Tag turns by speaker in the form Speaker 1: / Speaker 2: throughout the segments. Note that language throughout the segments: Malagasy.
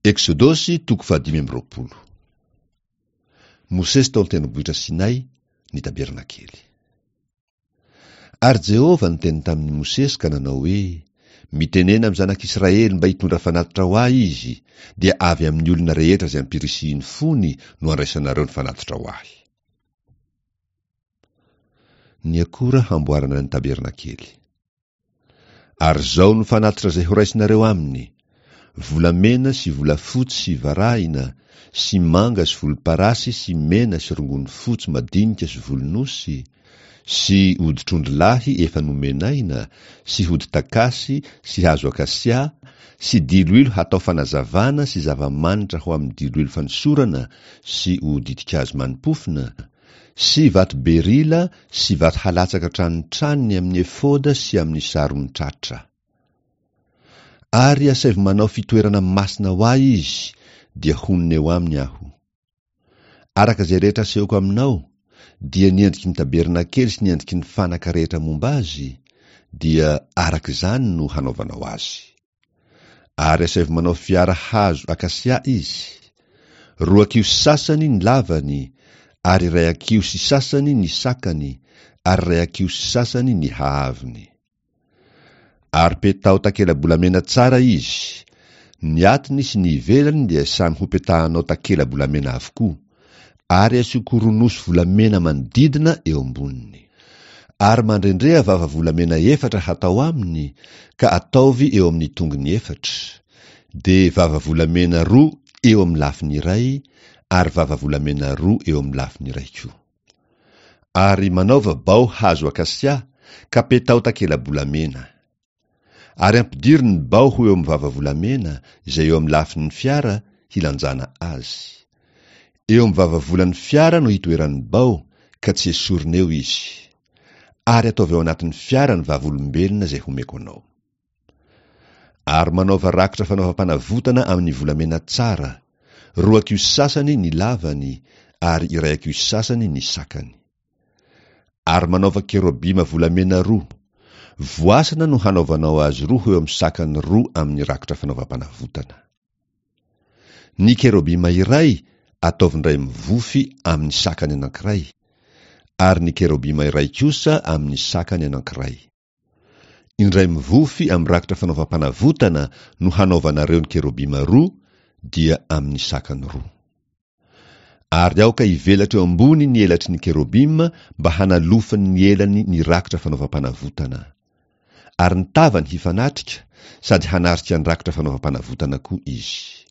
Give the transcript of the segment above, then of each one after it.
Speaker 1: Eksodosy toko fahadimy amby 20. Mosesy tao an-tendrombohitra Sinay, ny tabernakely. Ary Jehovah niteny tamin'i Mosesy ka nanao hoe, Mitenena amin'ny zanak'Israely mba hitondra fanatitra ho ahy izy, dia avy amin'ny olona rehetra izay ampirisihin'ny fony no handraisanareo ny fanatitra ho ahy. Ny akora hamboarana ny tabernakely. Ary izao no fanatitra izay horaisinareo aminy, volamena sy volafotsy sy varahina, sy manga sy volomparasy sy mena sy rongony fotsy madinika sy volon'osy, sy hoditr'ondry lahy efa nomenaina, sy hodi-takasy sy hazo akasia, sy diloilo hatao fanazavana sy zava-manitra ho amin'ny diloilo fanosorana sy ho ditin-kazo mani-pofona, Sy vato berila sy vato halatsaka an-tranotranony amin'ny efoda sy amin'ny saron-tratra. Ary asaivo manao fitoerana masina ho ahy izy, dia honina eo aminy aho. Araka izay rehetra asehoko aminao, dia ny endriky ny tabernakely sy ny endriky ny fanaka rehetra momba azy, dia araka izany no hanaovanao azy. Ary asaivo manao fiara hazo akasia izy. Roa hakiho sy sasany ny lavany, ary iray hakiho sy sasany ny sakany, ary iray hakiho sy sasany ny haavony. Ary petaho takela-bolamena tsara izy. Ny atiny sy ny ivelany dia samy hopetahanao takela-bolamena avokoa. Ary asio koronosy volamena manodidina eo amboniny. Ary mandrendreha vava volamena efatra hatao aminy, ka ataovy eo amin'ny tongony efatra, dia vava volamena roa eo amin'ny lafiny iray, ary vava volamena roa eo amin'ny lafiny iray koa. Ary manaova bao hazo akasia, ka petaho takela-bolamena. Ary ampidiro ny bao ho eo amin'ny vava volamena izay eo amin'ny lafin'ny fiara hilanjana azy. Eo amin'ny vava volan'ny fiara no hitoeran'ny bao, ka tsy esorina eo izy. Ary ataovy ao anatin'ny fiara ny vavolombelona izay homeko anao. Ary manaova rakotra fanaovam-panavotana amin'ny volamena tsara, roa hakiho sasany ny lavany ary iray hakiho sasany ny sakany. Ary manaova kerobima volamena roa. Voasana no hanaovanao azy roa ho eo amin'ny sakany roa amin'ny rakotra fanaovam-panavotana. Ny kerobima iray ataovy indray mivofy amin'ny sakany anankiray, ary ny kerobima iray kosa amin'ny sakany anankiray. Indray mivofy amin'ny rakotra fanaovam-panavotana no hanaovanareo ny kerobima roa, dia amin'ny sakany roa. Ary aoka hivelatra eo ambony ny elatry ny kerobima mba hanalofany ny elany ny rakotra fanaovam-panavotana. Ary ny tavany hifanatrika sady hanarika ny rakotra fanaovam-panavotana koa izy.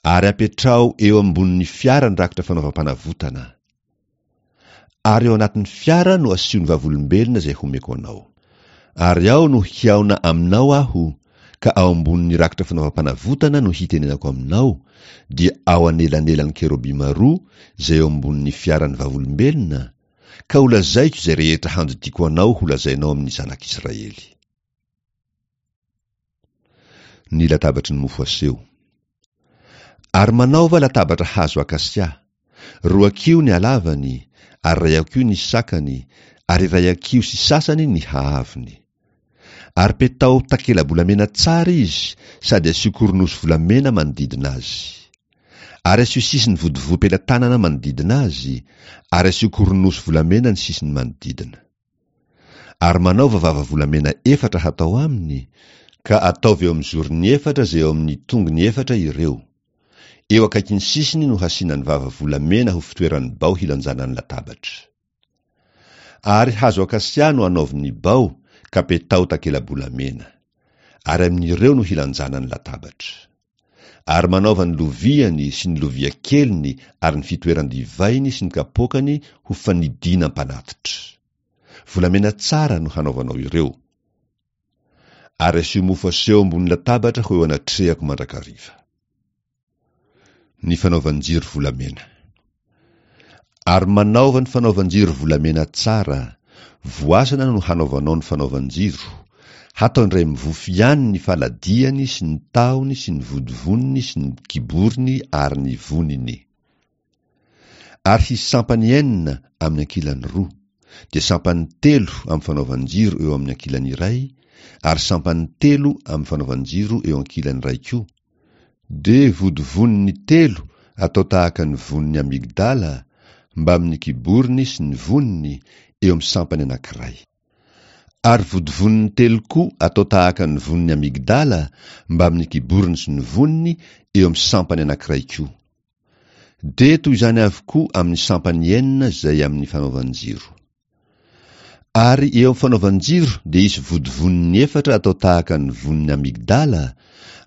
Speaker 1: Ary apetraho eo ambonin'ny fiara ny rakotra fanaovam-panavotana. Ary ao anatin'ny fiara no asio ny vavolombelona izay homeko anao. Ary ao no hihaona aminao Aho, ka ao ambonin'ny rakitra fanaovam-panavotana no hitenenako aminao, dia ao anelanelan'ny kerobima roa izay eo ambonin'ny fiaran'ny vavolombelona, ka holazaiko izay rehetra handidiako anao holazainao amin'ny zanak'Israely. Ny latabatry ny mofo aseho. Ary manaova latabatra hazo akasia. Roa hakiho ny halavany, ary iray hakiho ny sakany, ary iray hakiho sy sasany ny haavony. Ary petaho takela-bolamena tsara izy sady asio koronosy volamena manodidina azy. Ary asio sisiny vodivoam-pelatanana manodidina azy, ary asio koronosy volamena ny sisiny manodidina. Ary manaova vava volamena efatra hatao aminy, ka ataovy eo amin'ny zorony efatra izay eo amin'ny tongony efatra ireo. Eo akaikin'ny sisiny no hasiana ny vava volamena ho fitoeran'ny bao hilanjana ny latabatra. Ary hazo akasia no anaovy ny bao, ka petaho takela-bolamena. Ary amin'ireo no hilanjana ny latabatra. Ary manaova ny loviany sy ny lovia keliny ary ny fitoeran-divainy sy ny kapoakany ho fanidiana mpanatitra. Volamena tsara no hanaovanao ireo. Ary asio mofo aseho ambony latabatra ho eo anatrehako mandrakariva. Ny fanaovan-jiro volamena. Ary manaova ny fanaovan-jiro volamena tsara, voasana no hanaovanao ny fanaovan-jiro, hatao indray mivofy ihany ny faladiany sy ny tahony sy ny vodivoniny sy ny kiboriny ary ny voniny. Ary hisy sampany enina amin'ny ankilany roa, dia sampany telo amin'ny fanaovan-jiro eo amin'ny ankilany iray, ary sampany telo amin'ny fanaovan-jiro eo ankilany iray koa, Dia vodivoniny telo atao tahaka ny vonin'ny amygdala, mbamin'ny kiboriny sy ny voniny, eo amin'ny sampany anankiray. Ary vodivoniny telo koa atao tahaka ny vonin'ny amygdala, mbamin'ny kiboriny sy ny voniny, eo amin'ny sampany anankiray koa. Dia toy izany avokoa amin'ny sampany enina izay amin'ny fanaovan-jiro. Ary eo amin'ny fanaovan-jiro dia hisy vodivoniny efatra atao tahaka ny vonin'ny amygdala,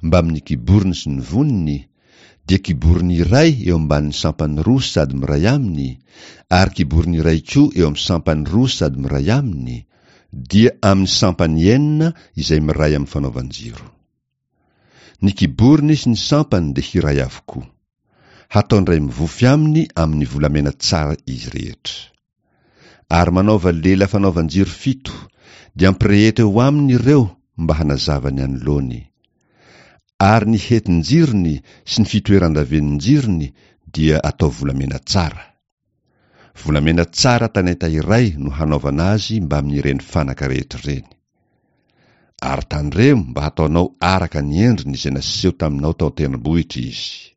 Speaker 1: mbamin'ny kiboriny sy ny voniny, dia kiboriny iray eo ambanin'ny sampany roa sady miray aminy, ary kiboriny iray koa eo amin'ny sampany roa sady miray aminy, dia amin'ny sampany enina izay miray amin'ny fanaovan-jiro. Ny kiboriny sy ny sampany dia hiray avokoa. Hataon-dray mivofy aminy amin'ny volamena tsara izy rehetra. Ary manaova lela fanaovan-jiro fito, dia ampireheto eo aminy ireo mba hanazava ny anoloany. Ary ny hetin-jirony sy ny fitoeran-davenin-jirony dia atao volamena tsara. Volamena tsara talenta iray no hanaovana azy mbamin'ireny fanaka rehetra ireny. Ary tandremo mba hataonao araka ny endriny izay naseho taminao tao an-tendrombohitra izy.